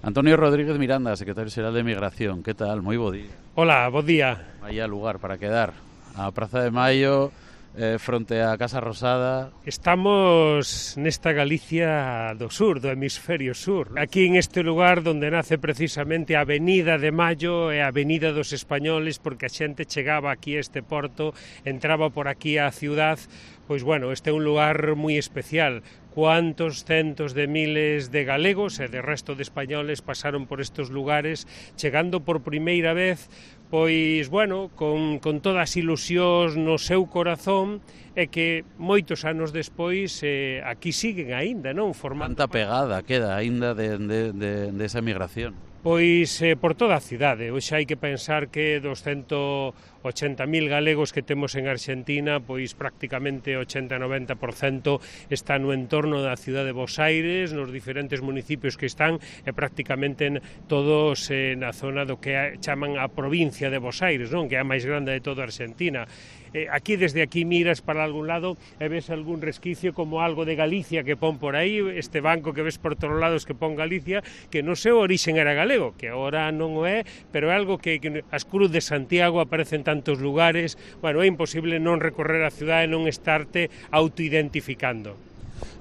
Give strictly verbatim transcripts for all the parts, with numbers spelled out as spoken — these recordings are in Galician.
Antonio Rodríguez Miranda, secretario xeral de Migración. Que tal? Moi bo día. Hola, bo día. Vaya lugar para quedar. A Praza de Maio, eh, fronte á Casa Rosada. Estamos nesta Galicia do sur, do hemisferio sur. Aquí en este lugar donde nace precisamente a Avenida de Maio e a Avenida dos Españoles, porque a xente chegaba aquí a este porto, entraba por aquí á ciudad. Pois bueno, este é un lugar moi especial. Cuántos centos de miles de galegos e de resto de españoles pasaron por estes lugares, chegando por primeira vez, pois, bueno, con, con todas as ilusións no seu corazón, e que moitos anos despois eh, aquí siguen aínda, non? Formando Canta pegada queda aínda de, de, de, de esa migración. Pois eh, por toda a cidade. Hoxe hai que pensar que dos ciento ochenta mil galegos que temos en Argentina, pois prácticamente ochenta a noventa por cento está no entorno da cidade de Bos Aires, nos diferentes municipios que están, e prácticamente todos eh, na zona do que chaman a provincia de Bos Aires, non? Que é a máis grande de toda a Argentina. Eh, aquí, desde aquí, miras para algún lado e ves algún resquicio como algo de Galicia que pon por aí, este banco que ves por todos lados que pon Galicia, que no seu orixen era galego, que agora non o é, pero é algo que, que as Cruz de Santiago aparecen tantos lugares. Bueno, é imposible non recorrer a cidade e non estarte autoidentificando.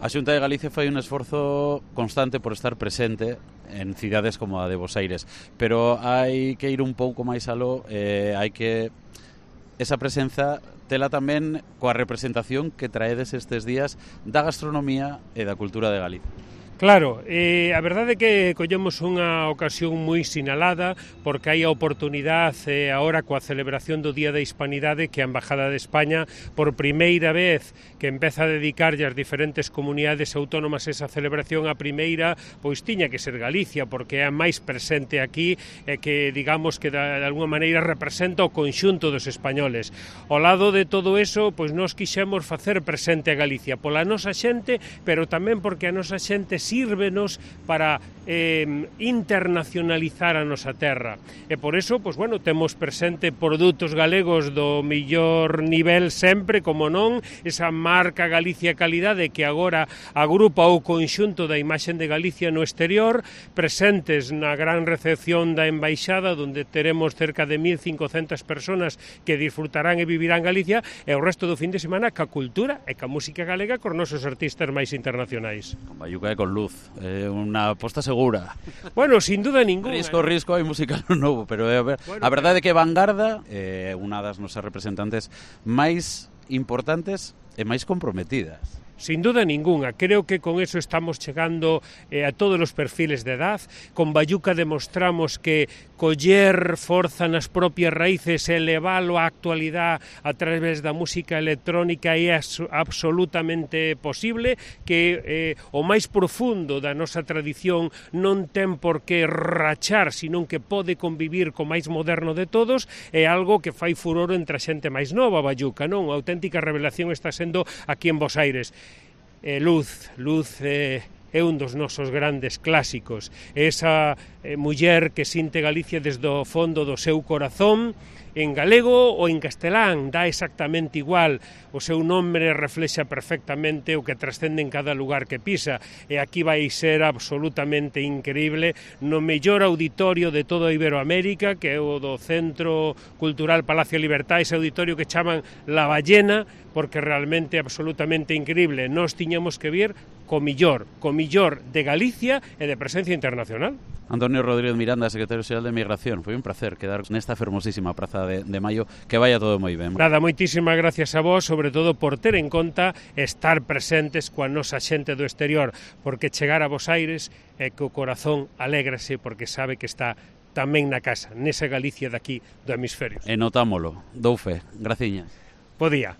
A Xunta de Galicia fai un esforzo constante por estar presente en cidades como a de Bos Aires, pero hai que ir un pouco máis aló, eh, hai que esa presenza tela tamén coa representación que traedes estes días da gastronomía e da cultura de Galicia. Claro, eh, a verdade é que collemos unha ocasión moi sinalada porque hai a oportunidade eh, agora coa celebración do Día da Hispanidade que a Embajada de España por primeira vez que empeza a dedicarlle ás diferentes comunidades autónomas esa celebración. A primeira pois tiña que ser Galicia porque é a máis presente aquí e que digamos que de, de alguma maneira representa o conxunto dos españoles. Ao lado de todo eso, pois nós quixemos facer presente a Galicia pola nosa xente, pero tamén porque a nosa xente sírvenos para eh, internacionalizar a nosa terra. E por eso, pois, bueno, temos presente produtos galegos do millor nivel sempre, como non, esa marca Galicia Calidade que agora agrupa o conxunto da imaxen de Galicia no exterior, presentes na gran recepción da Embaixada, onde teremos cerca de mil cincocentas personas que disfrutarán e vivirán Galicia, e o resto do fin de semana ca cultura e ca música galega con nosos artistas máis internacionais. Con Bayuca e con Luz, eh, unha aposta segura. Bueno, sin duda ninguna. Risco, risco, hai música novo, pero eh, a, ver, bueno, a verdade é que Vanguarda é eh, unha das nosas representantes máis importantes e máis comprometidas. Sin duda ninguna, creo que con eso estamos chegando eh, a todos os perfiles de edad. Con Bayuca demostramos que coller forza nas propias raíces e leválo á actualidade a través da música electrónica é absolutamente posible, que eh, o máis profundo da nosa tradición non ten por que rachar, senón que pode convivir co máis moderno de todos. É algo que fai furor entre a xente máis nova, Bayuca, non? A auténtica revelación está sendo aquí en Bos Aires. Eh, Luz, Luz eh, é un dos nosos grandes clásicos. Esa eh, muller que sinte Galicia desde o fondo do seu corazón, en galego ou en castelán, dá exactamente igual. O seu nome reflexa perfectamente o que trascende en cada lugar que pisa, e aquí vai ser absolutamente increíble no mellor auditorio de toda Iberoamérica, que é o do Centro Cultural Palacio Libertad, ese auditorio que chaman La Ballena, porque realmente é absolutamente increíble. Nós tiñamos que vir co millor, co millor de Galicia e de presencia internacional. Antonio Rodríguez Miranda, secretario xeral de Migración, foi un placer quedar nesta fermosísima Praza de, de Maio, que vaya todo moi ben. Nada, moitísimas gracias a vos, sobre todo por ter en conta estar presentes coa nosa xente do exterior, porque chegar a Bos Aires é que o corazón alégrase porque sabe que está tamén na casa, nesa Galicia daqui do hemisferio. E notámolo, dou fe, graciñas. Bo día.